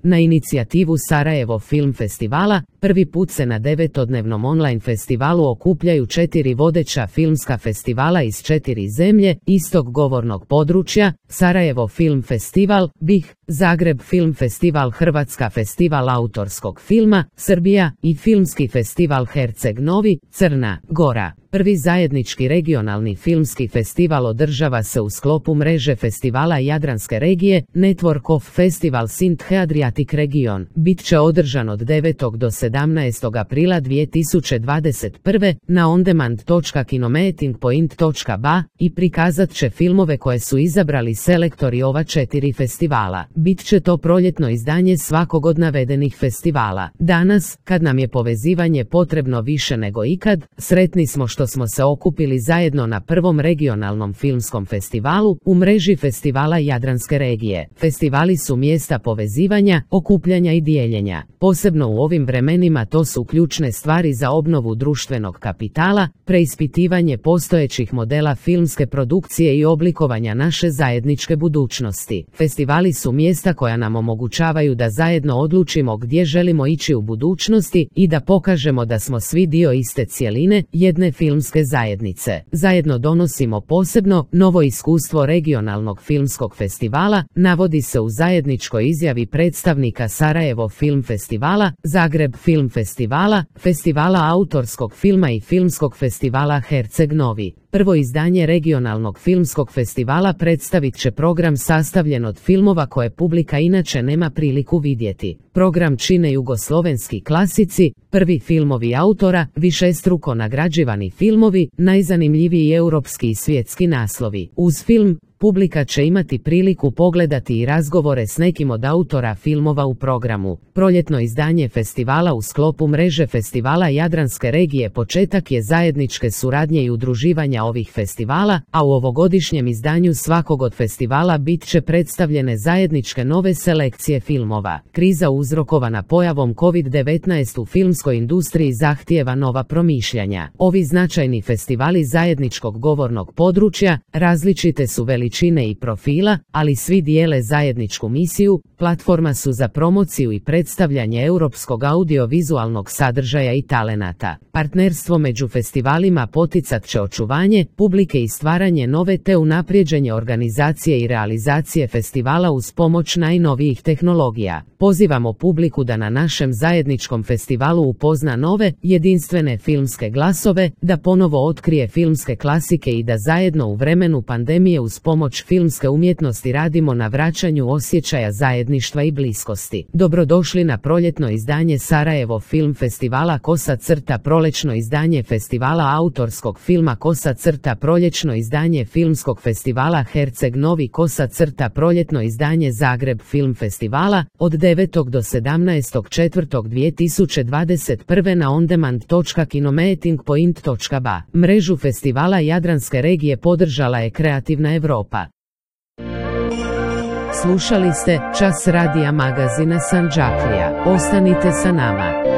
Na inicijativu Sarajevo Film Festivala, prvi put se na 9-dnevnom online festivalu okupljaju 4 vodeća filmska festivala iz 4 zemlje istog govornog područja: Sarajevo Film Festival, BiH, Zagreb Film Festival, Hrvatska Festival autorskog filma, Srbija i Filmski festival Herceg Novi, Crna Gora. Prvi zajednički regionalni filmski festival održava se u sklopu mreže festivala Jadranske regije Network of Festivals in the Adriatic Region. Bit će održan od 9. do 17. aprila 2021. na ondemand.kinomeetingpoint.ba i prikazat će filmove koje su izabrali selektori ova 4 festivala. Bit će to proljetno izdanje svakog od navedenih festivala. Danas, kad nam je povezivanje potrebno više nego ikad, sretni smo što smo se okupili zajedno na prvom regionalnom filmskom festivalu u mreži festivala Jadranske regije. Festivali su mjesta povezivanja, okupljanja i dijeljenja. Posebno u ovim vremenima to su ključne stvari za obnovu društvenog kapitala, preispitivanje postojećih modela filmske produkcije i oblikovanja naše zajedničke budućnosti. Festivali su mjesta koja nam omogućavaju da zajedno odlučimo gdje želimo ići u budućnosti i da pokažemo da smo svi dio iste cjeline, jedne filmske zajednice. Zajedno donosimo posebno, novo iskustvo regionalnog filmskog festivala, navodi se u zajedničkoj izjavi predstavnika Sarajevo Film Festivala, Zagreb Film Festivala, Festivala autorskog filma i Filmskog festivala Herceg Novi. Prvo izdanje regionalnog filmskog festivala predstavit će program sastavljen od filmova koje publika inače nema priliku vidjeti. Program čine jugoslovenski klasici, prvi filmovi autora, višestruko nagrađivani filmovi, najzanimljiviji europski i svjetski naslovi. Uz film, publika će imati priliku pogledati i razgovore s nekim od autora filmova u programu. Proljetno izdanje festivala u sklopu mreže festivala Jadranske regije početak je zajedničke suradnje i udruživanja ovih festivala, a u ovogodišnjem izdanju svakog od festivala bit će predstavljene zajedničke nove selekcije filmova. Kriza uzrokovana pojavom COVID-19 u filmskoj industriji zahtijeva nova promišljanja. Ovi značajni festivali zajedničkog govornog područja različite su veličine i profila, ali svi dijele zajedničku misiju, platforma su za promociju i predstavljanje europskog audiovizualnog sadržaja i talenata. Partnerstvo među festivalima poticat će očuvanje publike i stvaranje nove te unaprijeđenje organizacije i realizacije festivala uz pomoć najnovijih tehnologija. Pozivamo publiku da na našem zajedničkom festivalu upozna nove, jedinstvene filmske glasove, da ponovo otkrije filmske klasike i da zajedno u vremenu pandemije uz pomoć filmske umjetnosti radimo na vraćanju osjećaja zajedništva i bliskosti. Dobrodošli na proljetno izdanje Sarajevo Film Festivala /prolječno izdanje festivala autorskog filma /prolječno izdanje filmskog festivala Herceg Novi /proljetno izdanje Zagreb Film Festivala od 9. do 17.4.2021. na ondemand.kinomeetingpoint.ba. Mrežu festivala Jadranske regije podržala je Kreativna Europa. Slušali ste Čas radija magazina Sandžaklija. Ostanite sa nama.